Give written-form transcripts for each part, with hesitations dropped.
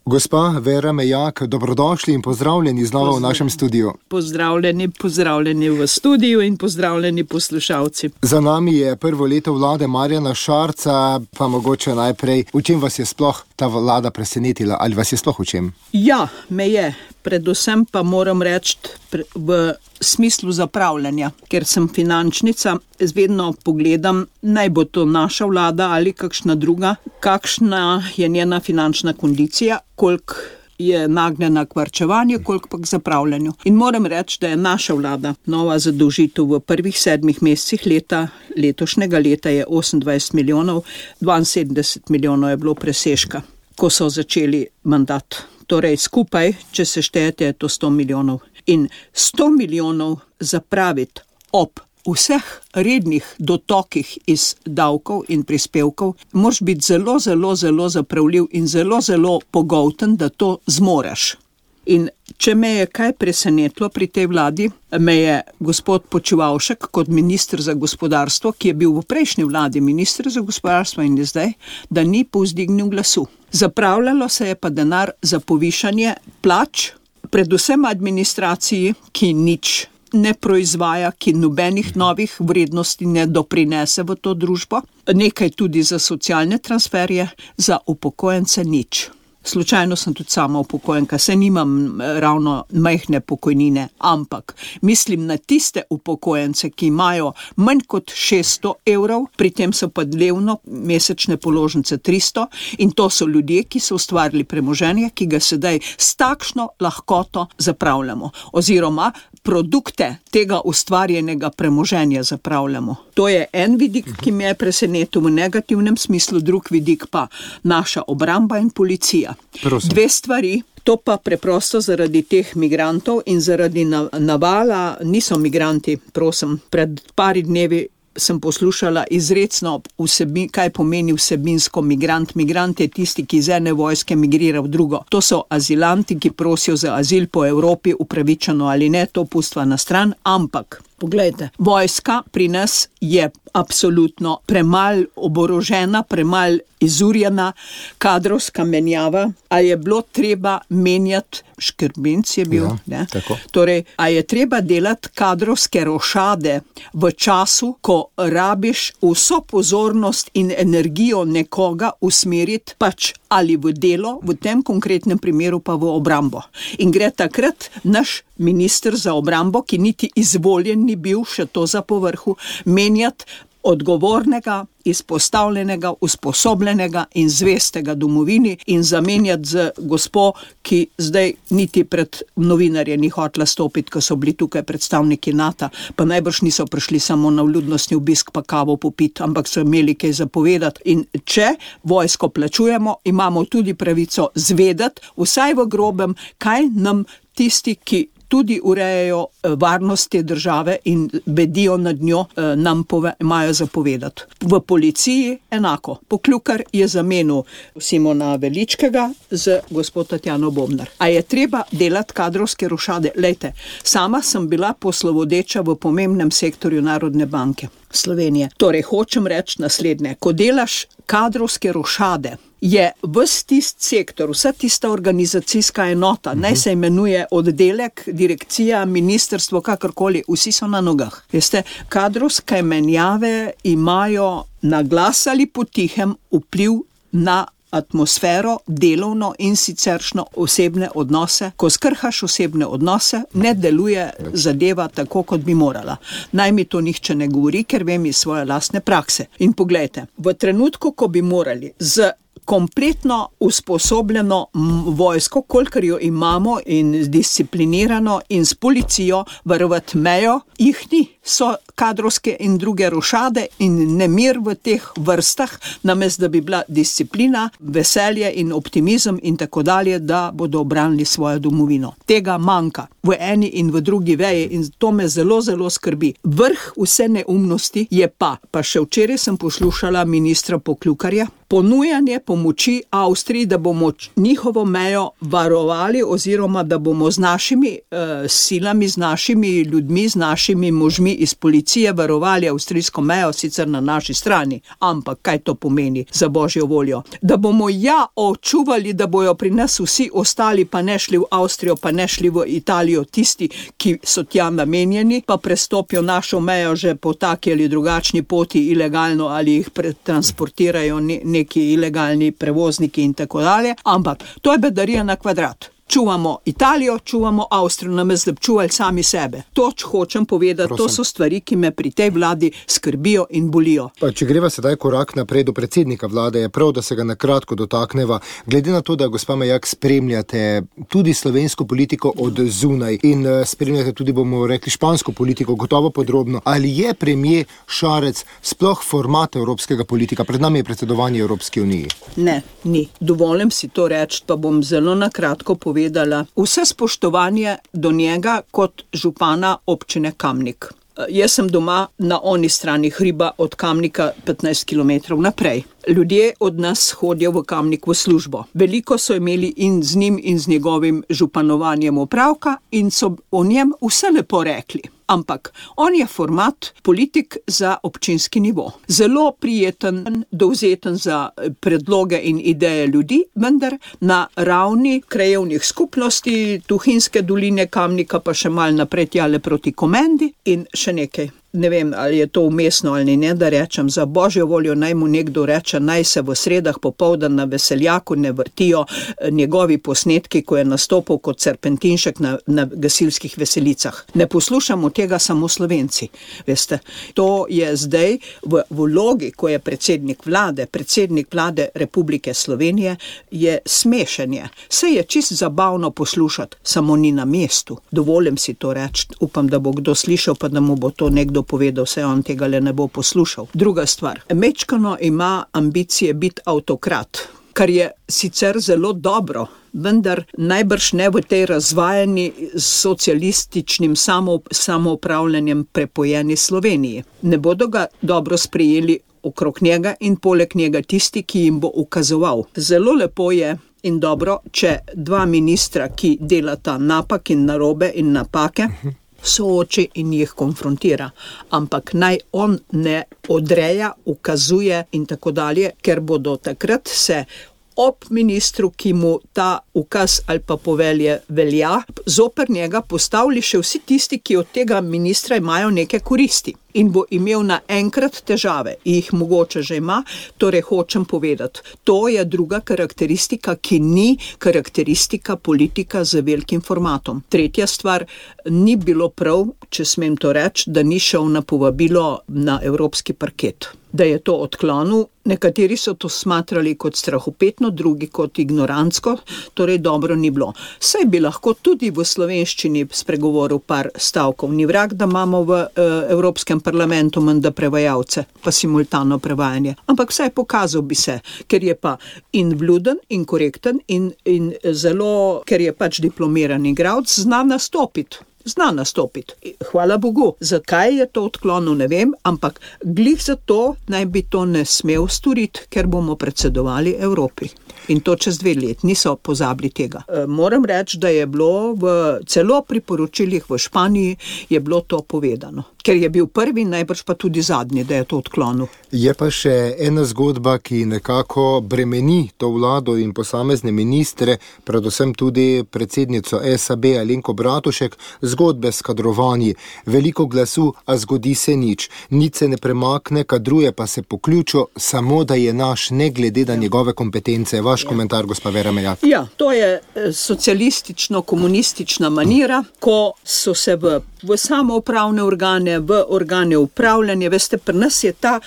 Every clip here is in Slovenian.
Gospa Vera Mejak, dobrodošli in pozdravljeni znova v našem studiu. Pozdravljeni v studiu in pozdravljeni poslušalci. Za nami je prvo leto vlade Marjana Šarca, pa mogoče najprej, v čem vas je sploh ta vlada presenetila, ali vas je sploh v čem? Ja, me je. Predvsem pa moram reči v smislu zapravljanja, ker sem finančnica, vedno pogledam, naj bo to naša vlada ali kakšna druga, kakšna je njena finančna kondicija, koliko je nagnjena k varčevanju, koliko pa k zapravljanju. In moram reči, da je naša vlada nova zadolžitev v prvih 7 mesecih letošnjega leta je 28 milijonov, 72 milijonov je bilo presežka, ko so začeli mandat. Torej skupaj, če se štejete, je to 100 milijonov. In 100 milijonov zapraviti ob vseh rednih dotokih iz davkov in prispevkov, moraš biti zelo zapravljiv in zelo pogolten, da to zmoreš. In če me je kaj presenetilo pri tej vladi, me je gospod Počivalšek kot minister za gospodarstvo, ki je bil v prejšnji vladi minister za gospodarstvo in je zdaj, da ni povzdignil glasu. Zapravljalo se je pa denar za povišanje plač, predvsem administraciji, ki nič ne proizvaja, ki nobenih novih vrednosti ne doprinese v to družbo, nekaj tudi za socialne transferje, za upokojence nič. Slučajno sem tudi sama upokojenka, saj nimam ravno majhne pokojnine, ampak mislim na tiste upokojence, ki imajo manj kot 600 evrov, pri tem so pa dnevno mesečne položnice 300 in to so ljudje, ki so ustvarili premoženje, ki ga sedaj s takšno lahkoto zapravljamo oziroma produkte tega ustvarjenega premoženja zapravljamo. To je en vidik, ki me je presenetil v negativnem smislu, drug vidik pa naša obramba in policija. Prosim. 2 stvari, to pa preprosto zaradi teh migrantov in zaradi navala, niso migranti, prosim, pred pari dnevi sem poslušala izrecno kaj pomeni vsebinsko migrant. Migrant je tisti, ki iz ene vojske migrira v drugo. To so azilanti, ki prosijo za azil po Evropi, upravičeno ali ne, to pustva na stran, ampak poglejte, vojska pri nas je absolutno premalj oborožena, premalj izurjena, kadrovska menjava, a je bilo treba menjati, Škrbinc je bil, ne? Tako. Torej, a je treba delati kadrovske rošade v času, ko rabiš vso pozornost in energijo nekoga usmeriti pač ali v delo, v tem konkretnem primeru pa v obrambo. In gre takrat naš minister za obrambo, ki niti izvoljen ni bil, še to za povrhu, menjati odgovornega, izpostavljenega, usposobljenega in zvestega domovini in zamenjati z gospo, ki zdaj niti pred novinarje ni hotela stopiti, ko so bili tukaj predstavniki NATO, pa najbrž niso prišli samo na vljudnostni obisk pa kavo popiti, ampak so imeli kaj zapovedati. In če vojsko plačujemo, imamo tudi pravico zvedeti, vsaj v grobem, kaj nam tisti, ki tudi urejajo varnost te države in bedijo nad njo, nam imajo zapovedati. V policiji enako. Poklukar je zamenil Simona Veličkega z gospod Tatjano Bobnar. A je treba delati kadrovske rošade? Lejte, sama sem bila poslovodeča v pomembnem sektorju Narodne banke Slovenije. Torej, hočem reči naslednje. Ko delaš kadrovske rošade, je ves tist sektor, vsa tista organizacijska enota, naj se imenuje oddelek, direkcija, ministrstvo, kakorkoli, vsi so na nogah. Veste, kadrovske menjave imajo na glas ali potihem vpliv na atmosfero, delovno in siceršno osebne odnose. Ko skrhaš osebne odnose, ne deluje zadeva tako, kot bi morala. Naj mi to nihče ne govori, ker vem iz svoje lastne prakse. In poglejte, v trenutku, ko bi morali z kompletno usposobljeno vojsko, kolikor jo imamo in disciplinirano in s policijo varovati mejo, jih ni. So kadrovske in druge rošade in nemir v teh vrstah, namesto da bi bila disciplina, veselje in optimizem in tako dalje, da bodo obranili svojo domovino. Tega manjka v eni in v drugi veji in to me zelo skrbi. Vrh vse neumnosti je pa še včeraj sem poslušala ministra Poklukarja, ponujanje pomoči Avstriji, da bomo njihovo mejo varovali oziroma da bomo z našimi silami, z našimi ljudmi, z našimi možmi iz policije varovali avstrijsko mejo, sicer na naši strani. Ampak kaj to pomeni za božjo voljo? Da bomo očuvali, da bojo pri nas vsi ostali, pa ne šli v Avstrijo, pa ne šli v Italijo, tisti, ki so tja namenjeni, pa prestopijo našo mejo že po taki ali drugačni poti ilegalno ali jih transportirajo neki ilegalni prevozniki in tako dalje. Ampak to je bedarija na kvadrat. Čuvamo Italijo, čuvamo Avstrijo, namesto da bi čuvali sami sebe. To hočem povedati, Prosim. To so stvari, ki me pri tej vladi skrbijo in bolijo. Pa če greva sedaj korak naprej do predsednika vlade, je prav, da se ga na kratko dotakneva. Glede na to, da gospa Majak spremljate tudi slovensko politiko od zunaj in spremljate tudi, bomo rekli, špansko politiko, gotovo podrobno, ali je premier Šarec sploh format evropskega politika? Pred nami je predsedovanje Evropski uniji. Ne, ni. Dovolim si to reči, pa bom zelo na kratko povedala. Vse spoštovanje do njega kot župana občine Kamnik. Jaz sem doma na oni strani hriba od Kamnika 15 km naprej. Ljudje od nas hodijo v Kamnik v službo. Veliko so imeli in z njim in z njegovim županovanjem opravka in so o njem vse lepo rekli. Ampak on je format politik za občinski nivo. Zelo prijeten, dovzeten za predloge in ideje ljudi, vendar na ravni krajevnih skupnosti, Tuhinjske doline, Kamnika, pa še malo naprej tjale proti Komendi in še nekaj. Ne vem, ali je to umestno ali ne, da rečem, za božjo voljo naj mu nekdo reče, naj se v sredah popoldan na Veseljaku ne vrtijo njegovi posnetki, ko je nastopil kot serpentinšek na gasilskih veselicah. Ne poslušamo tega samo Slovenci, veste. To je zdaj v vlogi, ko je predsednik vlade Republike Slovenije, je smešenje. Se je čisto zabavno poslušati, samo ni na mestu. Dovolim si to reči, upam, da bo kdo slišal, pa da mu bo to nekdo povedal, se on tega le ne bo poslušal. Druga stvar, mečkano ima ambicije biti avtokrat, kar je sicer zelo dobro, vendar najbrž ne v tej razvajani s socialističnim samoupravljanjem prepojeni Sloveniji. Ne bodo ga dobro sprejeli okrog njega in poleg njega tisti, ki jim bo ukazoval. Zelo lepo je in dobro, če dva ministra, ki delata napak in narobe in napake, sooči in jih konfrontira. Ampak naj on ne odreja, ukazuje in tako dalje, ker bodo takrat se ob ministru, ki mu ta ukaz ali pa povelje velja, zoper njega postavili še vsi tisti, ki od tega ministra imajo neke koristi. In bo imel naenkrat težave, jih mogoče že ima, torej hočem povedati, to je druga karakteristika, ki ni karakteristika politika z velikim formatom. Tretja stvar, ni bilo prav, če smem to reči, da ni šel na povabilo na evropski parket. Da je to odklonil, nekateri so to smatrali kot strahopetno, drugi kot ignorantsko, torej dobro ni bilo. Saj bi lahko tudi v slovenščini spregovoril par stavkov, ni vrag, da imamo v Evropskem parlamentu menda prevajalce, pa simultano prevajanje. Ampak vsaj pokazal bi se, ker je pa in vljuden, in korekten, in zelo, ker je pač diplomiran igralec, zna nastopiti. Hvala Bogu. Zakaj je to odklonil, ne vem, ampak glih zato naj bi to ne smel storiti, ker bomo predsedovali Evropi. In to čez 2 leti, niso pozabili tega. Moram reči, da je bilo celo pri poročilih v Španiji je bilo to povedano. Ker je bil prvi, najbrž pa tudi zadnji, da je to odklonil. Je pa še ena zgodba, ki nekako bremeni to vlado in posamezne ministre, predvsem tudi predsednico SAB Alenko Bratušek, zgodbe s kadrovanji. Veliko glasu, a zgodi se nič. Nič se ne premakne, kadruje pa se po ključu, samo da je naš, ne glede na njegove kompetence. Vaš komentar, gospa Vera Majak. Ja, to je socialistično-komunistična manira, ko so se v samoupravne organe, v organe upravljanja, veste, pri nas je ta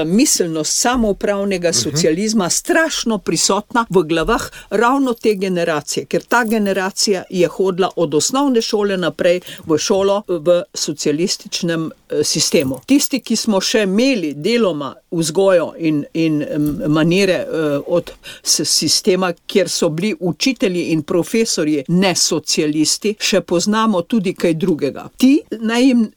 miselnost samoupravnega socializma strašno prisotna v glavah ravno te generacije, ker ta generacija je hodila od osnovne šole naprej v šolo v socialističnem sistemu. Tisti, ki smo še imeli deloma vzgojo in manire od sistema, kjer so bili učitelji in profesorji ne socialisti, še poznamo tudi kaj drugega. Ti, naj jim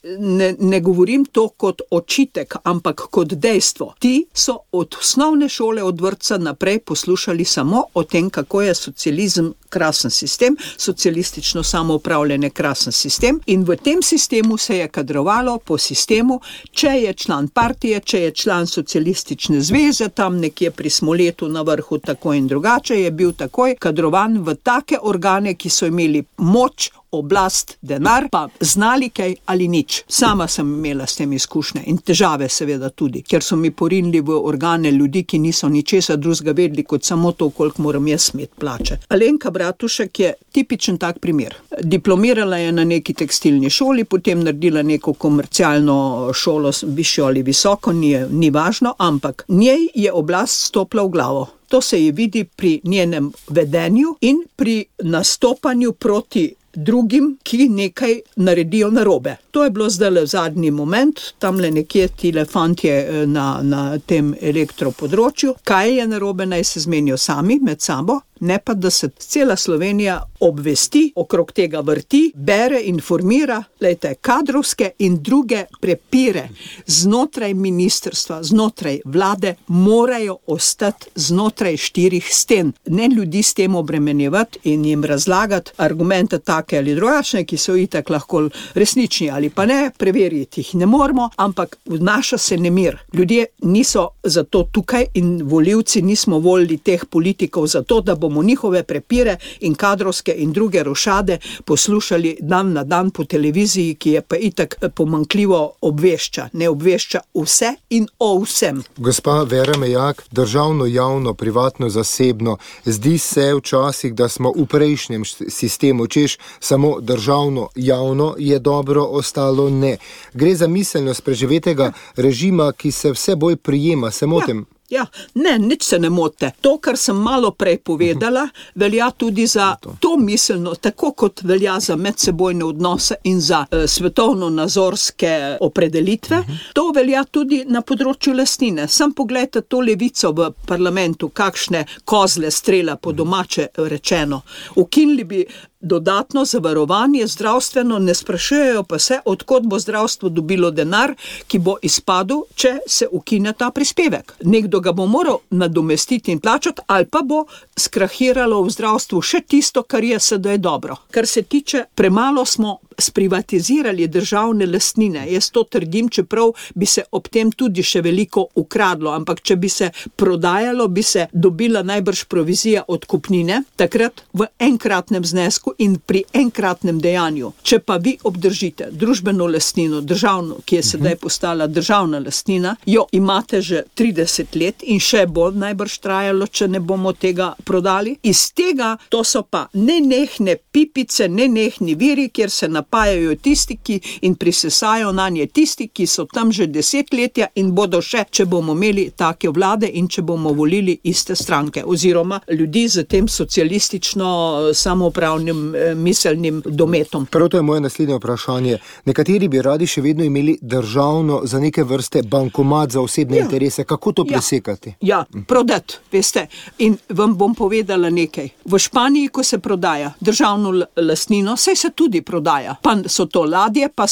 ne govorim to kot očitek, ampak kot dejstvo. Ti so od osnovne šole, od vrtca naprej poslušali samo o tem, kako je socializem krasen sistem, socialistično samoupravljanje krasen sistem, in v tem sistemu se je kadrovalo po sistemu, če je član partije, če je član socialistične zveze, tam nekje pri Smoletu na vrhu tako in drugače, je bil takoj kadrovan v take organe, ki so imeli moč, oblast, denar, pa znali kaj ali nič. Sama sem imela s tem izkušnje in težave seveda tudi, ker so mi porinili v organe ljudi, ki niso ničesar drugega vedeli, kot samo to, koliko moram jaz imeti plače. Alenka Bratušek je tipičen tak primer. Diplomirala je na neki tekstilni šoli, potem naredila neko komercialno šolo, višjo ali visoko, ni važno, ampak njej je oblast stopila v glavo. To se je vidi pri njenem vedenju in pri nastopanju proti drugim, ki nekaj naredijo narobe. To je bilo zdaj zadnji moment, tamle nekje tile fantje na tem elektropodročju. Kaj je narobe, naj se zmenijo sami med sabo, ne pa da se cela Slovenija obvesti, okrog tega vrti, bere, informira, glejte, kadrovske in druge prepire znotraj ministrstva, znotraj vlade morajo ostati znotraj 4 sten. Ne ljudi s tem obremenjevati in jim razlagati argumente take ali drugačne, ki so itak lahko resnični ali pa ne, preveriti jih ne moramo, ampak vnaša se nemir. Ljudje niso zato tukaj in volivci nismo volili teh politikov zato, da bomo njihove prepire in kadrovske in druge rošade poslušali dan na dan po televiziji, ki je pa itak pomanjkljivo obvešča. Ne obvešča vse in o vsem. Gospa Vera Mejak, državno, javno, privatno, zasebno, zdi se včasih, da smo v prejšnjem sistemu, češ samo državno, javno je dobro, ostalo ne. Gre za miselnost preživetega režima, ki se vse bolj prijema, se motim? Ja, ne, nič se ne mote. To, kar sem malo prej povedala, velja tudi za to miselno, tako kot velja za medsebojne odnose in za svetovno-nazorske opredelitve. To velja tudi na področju lastnine. Sam pogledajte to levico v parlamentu, kakšne kozle strela po domače rečeno. Ukinili bi dodatno zavarovanje zdravstveno, ne sprašujejo pa se, od kod bo zdravstvo dobilo denar, ki bo izpadel, če se ukine ta prispevek. Nekdo ga bo moral nadomestiti in plačati, ali pa bo skrahiralo v zdravstvu še tisto, kar je sedaj dobro. Kar se tiče, premalo smo sprivatizirali državne lastnine. Jaz to trdim, čeprav bi se ob tem tudi še veliko ukradlo, ampak če bi se prodajalo, bi se dobila najbrž provizija od kupnine, takrat v enkratnem znesku in pri enkratnem dejanju. Če pa vi obdržite družbeno lastnino, državno, ki je sedaj postala državna lastnina, jo imate že 30 let in še bo najbrž trajalo, če ne bomo tega prodali. Iz tega, to so pa nenehne pipice, nenehni viri, kjer se napajajo tisti, ki in prisesajo nanje tisti, ki so tam že desetletja in bodo še, če bomo imeli take vlade in če bomo volili iste stranke, oziroma ljudi z tem socialistično samoupravnim miselnim dometom. Prav to je moje naslednje vprašanje. Nekateri bi radi še vedno imeli državno za neke vrste bankomat za osebne interese. Kako to presekati? Ja, prodati, veste. In vam bom povedala nekaj. V Španiji, ko se prodaja državno lastnino, saj se tudi prodaja. Pa so to ladje, pa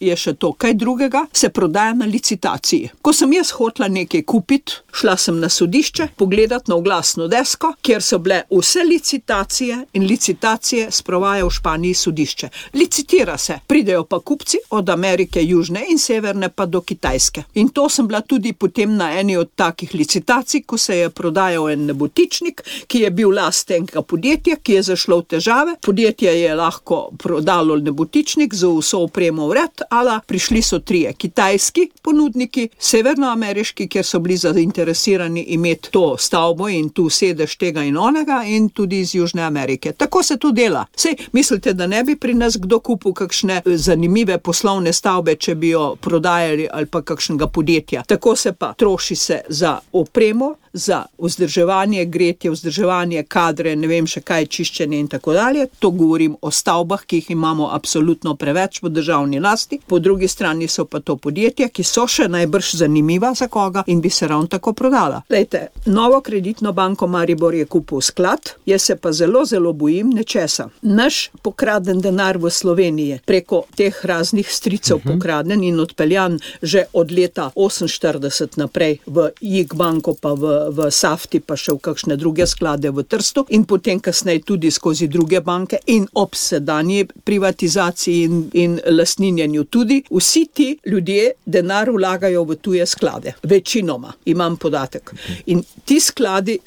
je še to kaj drugega, se prodaja na licitaciji. Ko sem jaz hotela nekaj kupiti, šla sem na sodišče, pogledati na oglasno desko, kjer so bile vse licitacije in licitacije sprovaja v Španiji sodišče. Licitira se, pridejo pa kupci od Amerike, južne in severne pa do Kitajske. In to sem bila tudi potem na eni od takih licitacij, ko se je prodajal en nebotičnik, ki je bil last enega podjetja, ki je zašlo v težave. Podjetje je lahko prodalo nebotičnik z vso opremo vred, ala prišli so 3 kitajski ponudniki, severnoameriški, kjer so bili zainteresirani imeti to stavbo in tu sedež tega in onega, in tudi iz Južne Amerike. Tako se to dela. Sej, mislite, da ne bi pri nas kdo kupil kakšne zanimive poslovne stavbe, če bi jo prodajali ali pa kakšnega podjetja. Tako se pa troši se za opremo, za vzdrževanje, gretje, vzdrževanje, kadre, ne vem še kaj, čiščenje in tako dalje. To govorim o stavbah, ki jih imamo absolutno absolutno preveč v državni lasti, po drugi strani so pa to podjetja, ki so še najbrž zanimiva za koga in bi se ravno tako prodala. Lejte, Novo kreditno banko Maribor je kupil sklad, jaz se pa zelo, zelo bojim nečesa. Naš pokraden denar v Sloveniji, preko teh raznih stricev pokraden in odpeljan že od leta 48 naprej v JIK banko, pa v Safti, pa še v kakšne druge sklade v Trstu in potem kasneje tudi skozi druge banke in ob sedanji privatizaciji in lastninjenju tudi. Vsi ti ljudje denar vlagajo v tuje sklade. Večinoma, imam podatek. In ti skladi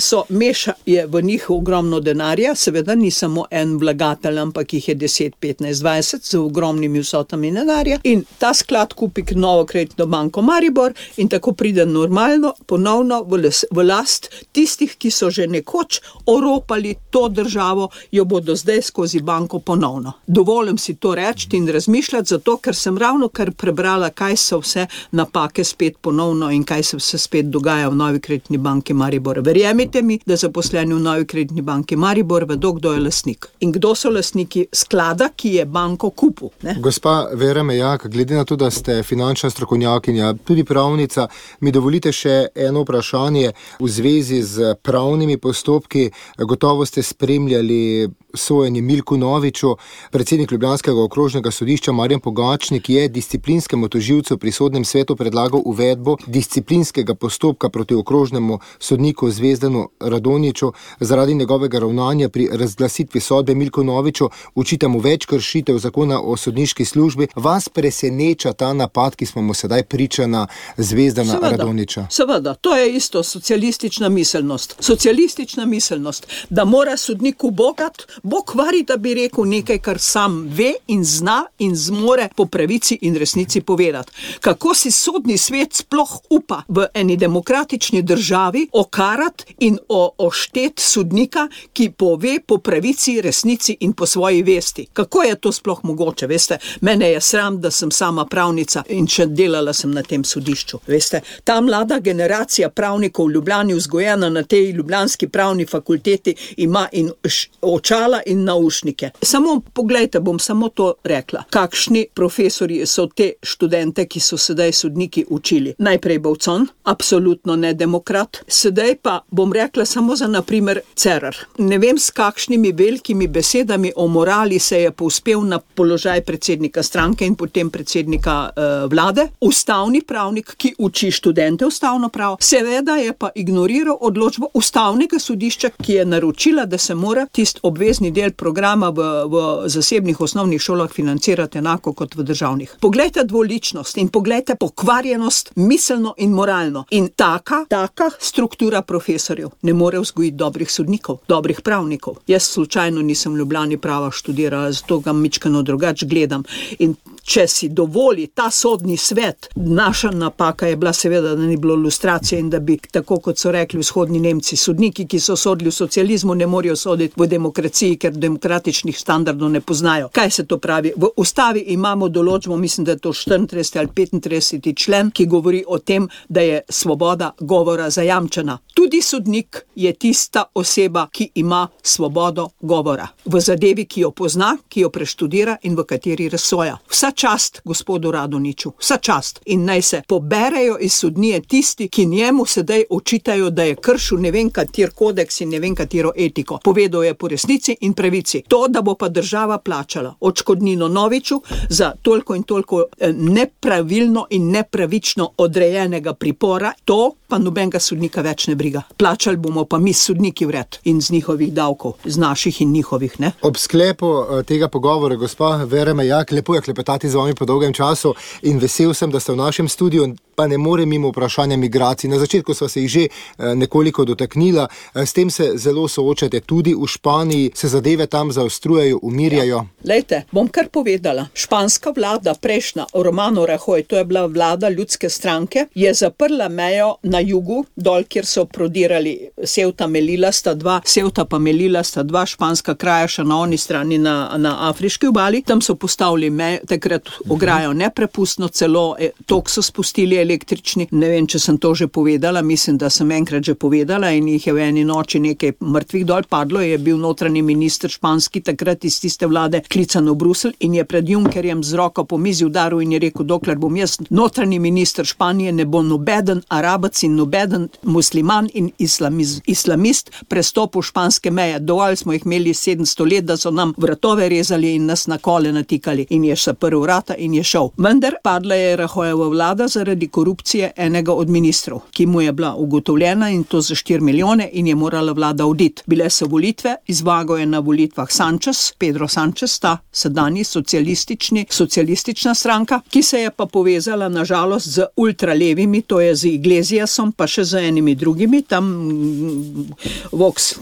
je v njih ogromno denarja, seveda ni samo en vlagatelj, ampak jih je 10, 15, 20 z ogromnimi vsotami denarja in ta sklad kupi Novo kreditno banko Maribor in tako pride normalno ponovno v last tistih, ki so že nekoč oropali to državo, jo bodo zdaj skozi banko ponovno. Dovolim si to reči in razmišljati, zato ker sem ravno kar prebrala, kaj so vse napake spet ponovno in kaj se vse spet dogaja v Novi kreditni banki Maribor. Verjemite mi, da zaposleni v Novi kreditni banki Maribor vedo, kdo je lastnik in kdo so lastniki sklada, ki je banko kupil. Gospa Vera Mejak, glede na to, da ste finančna strokovnjakinja, tudi pravnica, mi dovolite še eno vprašanje v zvezi z pravnimi postopki. Gotovo ste spremljali sojenje Milku Noviču. Predsednik ljubljanskega okrožnega sodišča Marjan Pogačnik je disciplinskemu tožilcu pri sodnem svetu predlagal uvedbo disciplinskega postopka proti okrožnemu sodniku Zvezdanu Radonjiću zaradi njegovega ravnanja pri razglasitvi sodbe. Milku Noviču očita mu več kršitev zakona o sodniški službi. Vas preseneča ta napad, ki smo mu sedaj priča na Zvezdana Radonjića? Seveda, to je isto socialistična miselnost. Socialistična miselnost, da mora sodnik ubogat, Bog vari, da bi rekel nekaj, kar sam ve in zna in zmore po pravici in resnici povedati. Kako si sodni svet sploh upa v eni demokratični državi okarati in oštet sodnika, ki pove po pravici, resnici in po svoji vesti? Kako je to sploh mogoče? Veste, mene je sram, da sem sama pravnica in še delala sem na tem sodišču. Veste, ta mlada generacija pravnikov v Ljubljani, vzgojena na tej ljubljanski pravni fakulteti, ima in očala in naušnike. Samo poglejte, bom samo to rekla. Kakšni profesorji so te študente, ki so sedaj sodniki učili? Najprej Bovcon, absolutno ne demokrat. Sedaj pa bom rekla samo za naprimer Cerar. Ne vem, s kakšnimi velikimi besedami o morali se je povzpel na položaj predsednika stranke in potem predsednika vlade. Ustavni pravnik, ki uči študente ustavno pravo, seveda je pa ignoriral odločbo ustavnega sodišča, ki je naročila, da se mora tisti obvezni del programa v zasebnih osnovnih šolah financirati enako kot v državnih. Poglejte dvoličnost in poglejte pokvarjenost miselno in moralno. In taka struktura profesorjev ne more vzgojiti dobrih sodnikov, dobrih pravnikov. Jaz slučajno nisem v Ljubljani prava študirala, zato ga mičkeno drugače gledam. In če si dovoli ta sodni svet, naša napaka je bila seveda, da ni bilo lustracije in da bi, tako kot so rekli vzhodni Nemci, sodniki, ki so sodili v socializmu, ne morejo soditi v demokraciji, ker demokratičnih standardov ne poznajo. Kaj se to pravi? V ustavi imamo določbo, mislim, da je to 34 ali 35. člen, ki govori o tem, da je svoboda govora zajamčena. Tudi sodnik je tista oseba, ki ima svobodo govora. V zadevi, ki jo pozna, ki jo preštudira in v kateri razsoja. Vsa čast gospodu Radonjiću, vsa čast. In naj se poberejo iz sodnije tisti, ki njemu sedaj očitajo, da je kršil ne vem kater kodeks in ne vem katero etiko. Povedal je po resnici in pravici. To, da bo pa država plačala odškodnino Noviču za toliko in toliko nepravilno in nepravično odrejenega pripora, to pa nobenega sodnika več ne briga. Plačali bomo pa mi sodniki vred in z njihovih davkov, z naših in njihovih, ne? Ob sklepu tega pogovora, gospa Vera Mejak, lepo je klepetati z vami po dolgem času in vesel sem, da ste v našem studiu, pa ne more mimo vprašanja migracij. Na začetku sva se jih že nekoliko dotaknila, s tem se zelo soočate tudi v Španiji, se zadeve tam zaostrujejo, umirjajo. Ja. Lejte, bom kar povedala. Španska vlada, prejšnja, Romano Rajoy, to je bila vlada ljudske stranke, je zaprla mejo na jugu, dol, kjer so prodirali Ceuta pa Melilla sta dva španska kraja še na oni strani na afriški obali. Tam so postavili mejo, takrat takrat ograjo neprepustno, celo tok so spustili električni. Ne vem, če sem to že povedala, mislim, da sem enkrat že povedala in jih je v eni noči nekaj mrtvih dol padlo. Je bil notranji minister španski takrat iz tiste vlade klican v Bruselj in je pred Junckerjem z roko po mizi udaril in je rekel, dokler bom jaz notranji minister Španije, ne bo nobeden Arabec in nobeden musliman in islamist prestopil španske meje. Dovolj smo jih imeli 700 let, da so nam vratove rezali in nas na kole natikali in je zaprl vrata in je šel. Vendar padla je Rahojeva vlada zaradi korupcije enega od ministrov, ki mu je bila ugotovljena in to za 4 milijone in je morala vlada oditi. Bile so volitve, izvagal je na volitvah Pedro Sánchez, ta sedanji socialistična stranka, ki se je pa povezala nažalost z ultralevimi, to je z Iglesiasom, pa še z enimi drugimi, tam Vox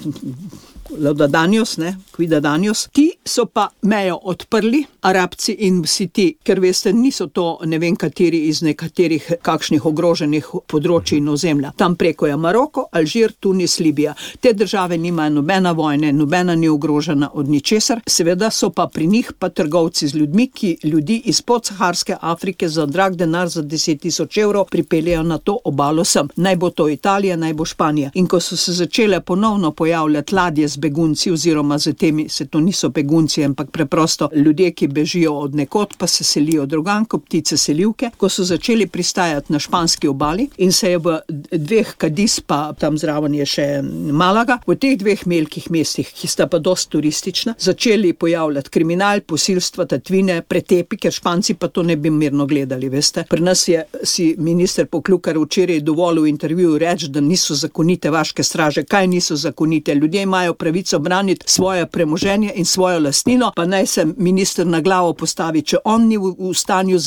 Quidadanjos. Ti so pa mejo odprli, Arabci in vsi ti, ker veste, niso to ne vem kateri iz nekaterih kakšnih ogroženih področij in ozemlja. Tam preko je Maroko, Alžir, Tunis, Libija. Te države nimajo nobena vojne, nobena ni ogrožena od ničesar. Seveda so pa pri njih pa trgovci z ljudmi, ki ljudi iz podsaharske Afrike za drag denar za 10.000 evrov pripeljejo na to obalo sem. Naj bo to Italija, naj bo Španija. In ko so se začele ponovno pojavljati ladje z begunci oziroma z temi, se to niso begunci, ampak preprosto ljudje, ki bežijo od nekod, pa se selijo drugam, kot ptice selivke, ko so začeli pristajati na španski obali in se je v dveh Kadiz, pa tam zraven je še Malaga, v teh dveh velikih mestih, ki sta pa dosti turistična, začeli pojavljati kriminal, posilstva, tatvine, pretepi, ker Španci pa to ne bi mirno gledali, veste. Pri nas je si minister Poklukar včeraj dovolil v intervjuju reči, da niso zakonite vaške straže. Kaj niso zakonite? Ljudje imajo pravico braniti svoje premoženje in svojo lastnino, pa naj se minister na glavo postavi, če on ni v stanju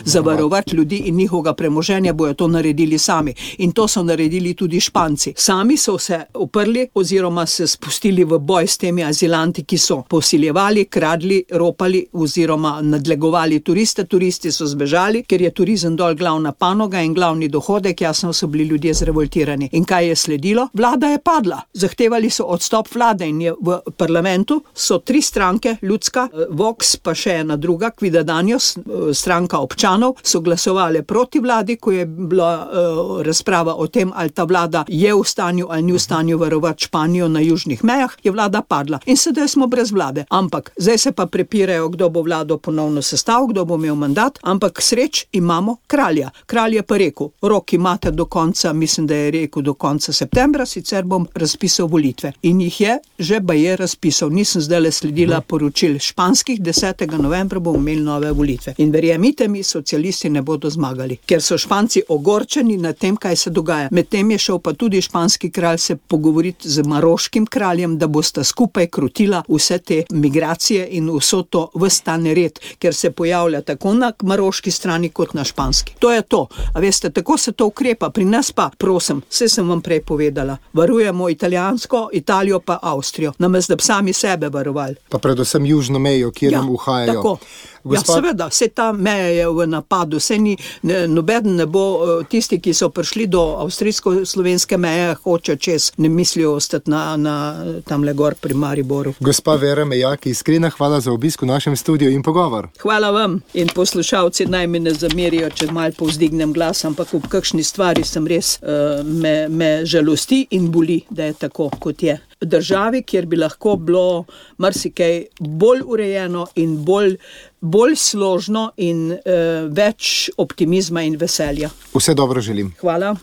zavarovati ljudi in njihovega premoženja, bojo to naredili sami. In to so naredili tudi Španci. Sami so se uprli oziroma se spustili v boj s temi azilanti, ki so posiljevali, kradli, ropali oziroma nadlegovali turiste. Turisti so zbežali, ker je turizem dol glavna panoga in glavni dohodek, jasno so bili ljudje zrevoltirani. In kaj je sledilo? Vlada je padla. Zahtevali so odstop vlade in je v parlamentu so 3 stranke, ljudska, Vox, pa še ena druga, Quidadanjos, stranka občanov, so glasovali proti vladi, ko je bila razprava o tem, ali ta vlada je v stanju ali ni v stanju varovati Španijo na južnih mejah, je vlada padla. In sedaj smo brez vlade. Ampak zdaj se pa prepirajo, kdo bo vlado ponovno sestavil, kdo bo imel mandat, ampak sreč imamo kralja. Kralj je pa rekel, rok imate do konca, mislim, da je rekel do konca septembra, sicer bom razpisal volitve. In jih je že baje razpisal. Nisem zdajle sledila poročil španskih, 10. novembra bomo imeli nove volitve. In verjemite mi, socialisti ne bodo zmagali, ker so Španci ogorčeni nad tem, kaj se dogaja. Medtem je šel pa tudi španski kralj se pogovoriti z maroškim kraljem, da bosta skupaj krotila vse te migracije in vso to ves ta nered, ker se pojavlja tako na maroški strani kot na španski. To je to. A veste, tako se to ukrepa. Pri nas pa, prosim, saj sem vam prej povedala, varujemo Italijo pa Avstrijo, namesto da bi sami sebe varovali. Pa predvsem južno mejo, kjer nam uhajajo. Tako. Ja, seveda, vse ta meja je v napadu, nobeden ne bo, tisti, ki so prišli do avstrijsko-slovenske meje, hoče čez, ne mislijo ostati na tamle gor pri Mariboru. Gospa Vera Mejak, iskrena hvala za obisk v našem studiu in pogovor. Hvala vam in poslušalci naj mi ne zamerijo, če malo povzdignem glas, ampak v kakšni stvari sem res, me žalosti in boli, da je tako, kot je. Državi, kjer bi lahko bilo marsikaj bolj urejeno in bolj složno in več optimizma in veselja. Vse dobro želim. Hvala.